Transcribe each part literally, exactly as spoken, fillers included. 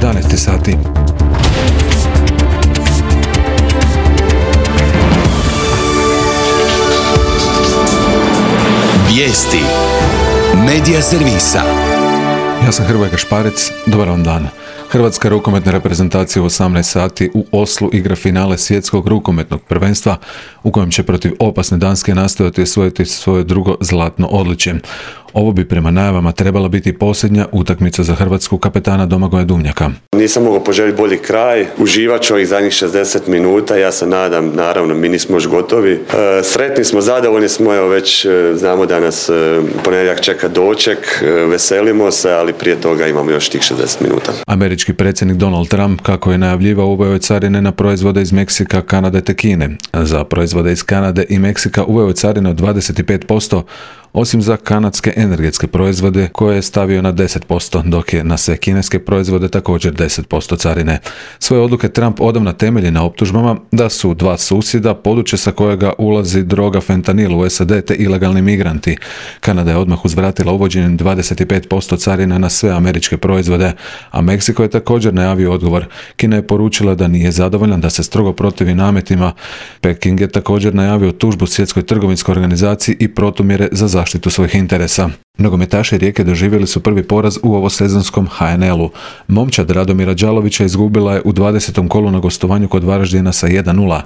jedanaest sati. Vijesti Medija servisa. Ja sam Hrvoje Gašparec, dobar vam dan. Hrvatska rukometna reprezentacija u osamnaest sati u Oslu igra finale svjetskog rukometnog prvenstva u kojem će protiv opasne Danske nastojati osvojiti svoje drugo zlatno odličje. Ovo bi prema najavama trebala biti posljednja utakmica za Hrvatsku kapetana Domagoja Duvnjaka. Nisam mogao poželjeti bolji kraj, uživat ću ovih zadnjih šezdeset minuta, ja se nadam, naravno mi nismo još gotovi. E, sretni smo, zadovoljni smo, evo već e, znamo da nas e, ponedjeljak čeka doček, e, veselimo se, ali prije toga imamo još tih šezdeset minuta. Američki predsjednik Donald Trump, kako je najavljivao, uveo je carine na proizvode iz Meksika, Kanade te Kine. Za proizvode iz Kanade i Meksika uveo je carine od dvadeset pet posto, osim za kanadske energetske proizvode koje je stavio na deset posto, dok je na sve kineske proizvode također deset posto carine. Svoje odluke Trump odavna temelji na optužbama da su dva susjeda područje sa kojega ulazi droga fentanil u S A D te ilegalni migranti. Kanada je odmah uzvratila uvođenjem dvadeset pet posto carina na sve američke proizvode, a Meksiko je također najavio odgovor. Kina je poručila da nije zadovoljna, da se strogo protivi nametima. Peking je također najavio tužbu Svjetskoj trgovinskoj organizaciji i protumjere za zaštitu svojih interesa. Nogometaši Rijeke doživjeli su prvi poraz u ovosezonskom H N L-u. Momčad Radomira Đalovića izgubila je u dvadesetom kolu na gostovanju kod Varaždina sa jedan nula.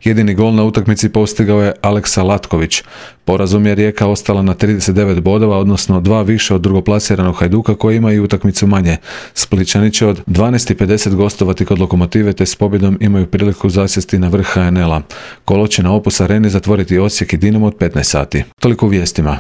Jedini gol na utakmici postigao je Aleksa Latković. Porazom je Rijeka ostala na trideset devet bodova, odnosno dva više od drugoplasiranog Hajduka koji ima i utakmicu manje. Splićani će od dvanaest i pedeset gostovati kod Lokomotive te s pobjedom imaju priliku zasjesti na vrh H N L-a. Kolo će na Opus Areni zatvoriti Osijek i Dinamo od petnaest sati. Toliko u vijestima.